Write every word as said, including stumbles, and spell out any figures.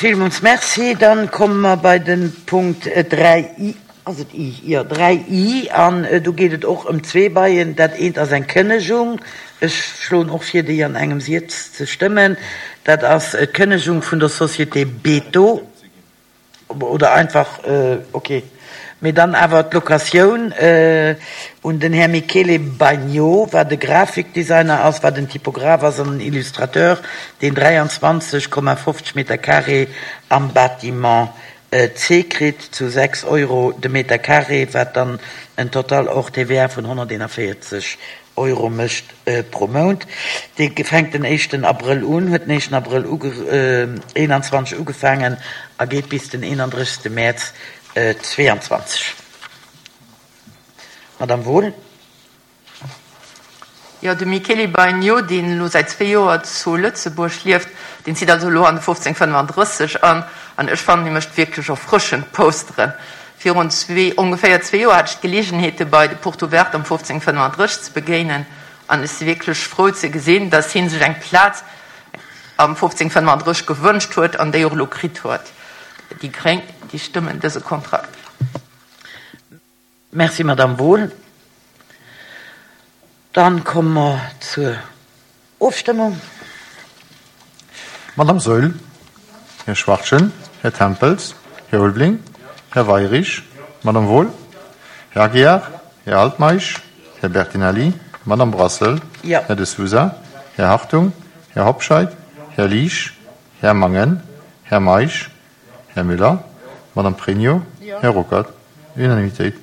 Villmools Merci. Dann komme mer bei de Punkt dräi i, ass et i? Jo, dräi i, an do geet et och ëm zwee Baien. Dat eent ass eng Kënnegung. Ech schloen och vir, déi an engem Saz ze stëmmen. Dat ass d'Kënnegung vun der Société Beto. Oder einfach, okay. Mee dann awer d'Locatioun un den Här Michele Bagno, wat e Grafikdesigner ass, wat en Typograph ass an en Illustrateur, deen dräianzwanzeg Komma fofzeg Meter carré am Bâtiment C kritt zu sechs Euro de Meter carré, wat dann en Total hors T V A vun honnerteenavéierzeg Euro mécht pro Mount. Dee fänkt den éischten Abrëll un, huet den éischten Abrëll eenanzwanzeg ugefaangen a geet bis den eenandrëssegste Mäerz zweeanzwanzeg. Madame Wohl. Jo, de Michele Bagno, deen elo säit zwee Joer zu Lëtzebuerg lieft, deen zitt also elo an de fofzéng fënnefandrësseg an, an ech fannen, hie mécht wierklech erfrëschend Posteren. Virun zwee, ongeféier zwee Joer hat ech d'Geleegenheet, e bei de Porte Ouverte am fofzéng fënnefandrësseg ze begéinen, an ech si wierklech frou ze gesinn, dass hie sech eng Plaz am fofzéng fënnefandrësseg gewënscht huet an déi och elo kritt huet. Déi Gréng, déi stëmmen dëse Kontrakt. Merci, Madame Wohl. Dann komme mer zur Ofstëmmung. Madame Saeul, Här Schwachtgen, Här Tempels, Här Ulveling, Här Weyrich, Madame Wohl, Här Aguiar, Här Altmeisch, Här Bertinelli, Madame Brassel, Ja. Här De Sousa, Här Hartung, Här Hobscheit, Här Liesch, Här Mangen, Här Meisch, Här Müller, Madame Pregno, Ja. Här Ruckert. Unanimitéit.